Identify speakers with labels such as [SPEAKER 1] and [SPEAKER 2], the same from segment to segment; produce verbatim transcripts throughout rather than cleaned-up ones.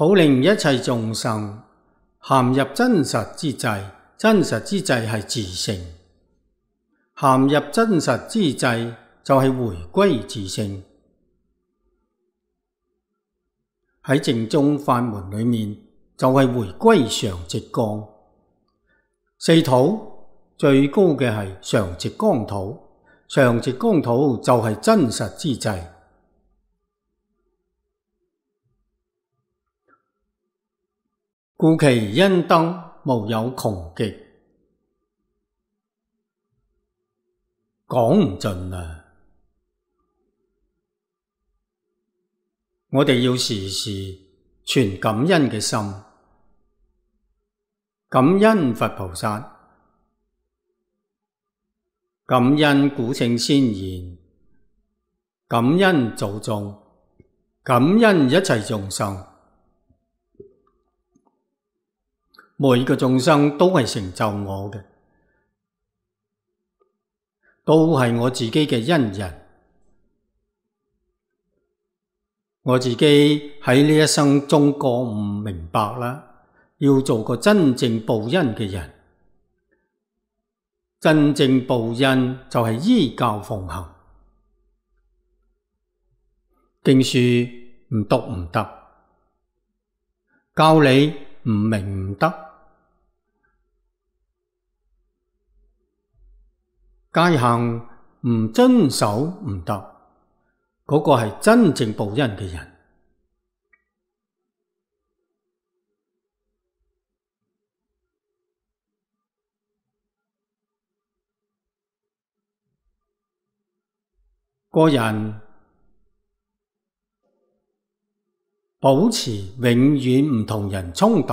[SPEAKER 1] 好令一切眾生陷入真實之際，真實之際係自性。陷入真實之際就係回歸自性。喺正宗法門裏面就係回歸常寂光。四土最高嘅係常寂光土，常寂光土就係真實之際。故其恩德無有窮極，講唔盡啊！我哋要時時存感恩嘅心，感恩佛菩薩，感恩古聖先賢，感恩祖宗，感恩一切眾生。每個眾生都係成就我嘅，都係我自己嘅恩人。我自己喺呢一生中覺悟明白啦，要做個真正報恩嘅人。真正報恩就係依教奉行。經書唔讀唔得，教理唔明唔得，戒行唔遵守唔得，嗰個係真正報恩嘅人。個人保持永遠唔同人衝突，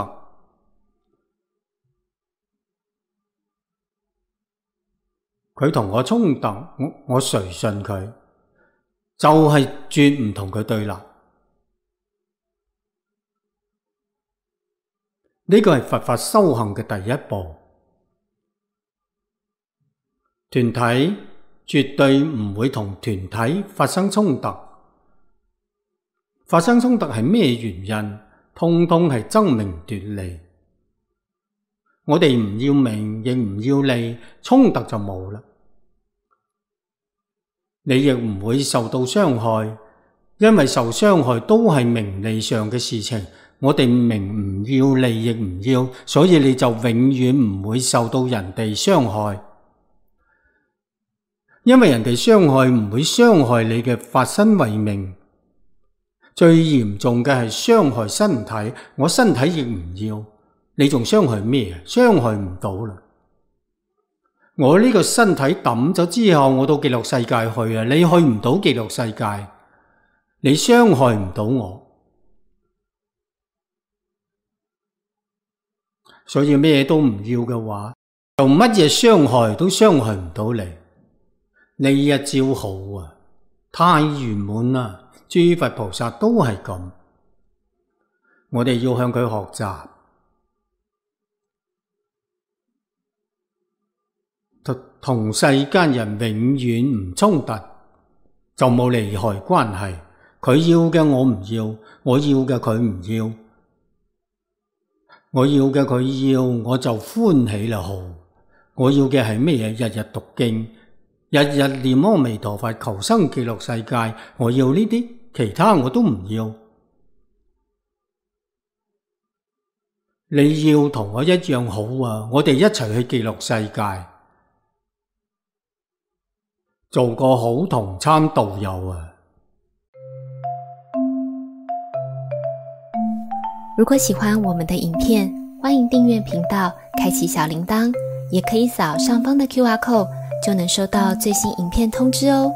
[SPEAKER 1] 佢同我衝突，我我隨順佢，就係絕唔同佢對立。呢個係佛法修行嘅第一步。團體絕對唔會同團體發生衝突。發生衝突係咩原因？通通係爭名奪利。我哋唔要名，亦唔要利，衝突就冇啦。你亦唔會受到傷害，因為受傷害都係名利上嘅事情。我哋名唔要，利亦唔要，所以你就永遠唔會受到人哋傷害。因為人哋傷害唔會傷害你嘅法身慧命。最嚴重嘅係傷害身體，我身體亦唔要，你仲傷害咩？傷害唔到啦。我呢個身體抌咗之後，我到極樂世界去啊！你去唔到極樂世界，你傷害唔到我。所以咩都唔要嘅話，就乜嘢傷害都傷害唔到你。呢一招好啊，太圓滿啦！諸佛菩薩都係咁，我哋要向佢學習。同世間人永遠唔衝突，就冇利害關係。佢要嘅我唔要，我要嘅佢唔要，我要嘅佢要，我就歡喜啦。好，我要嘅係咩嘢？日日讀經，日日念阿彌陀佛，求生極樂世界。我要呢啲，其他我都唔要。你要同我一樣好啊！我哋一齊去極樂世界，做個好同參導友啊！
[SPEAKER 2] 如果喜歡我們的影片，歡迎訂閱頻道，開啟小鈴鐺，也可以掃上方的 Q R code，就能收到最新影片通知哦。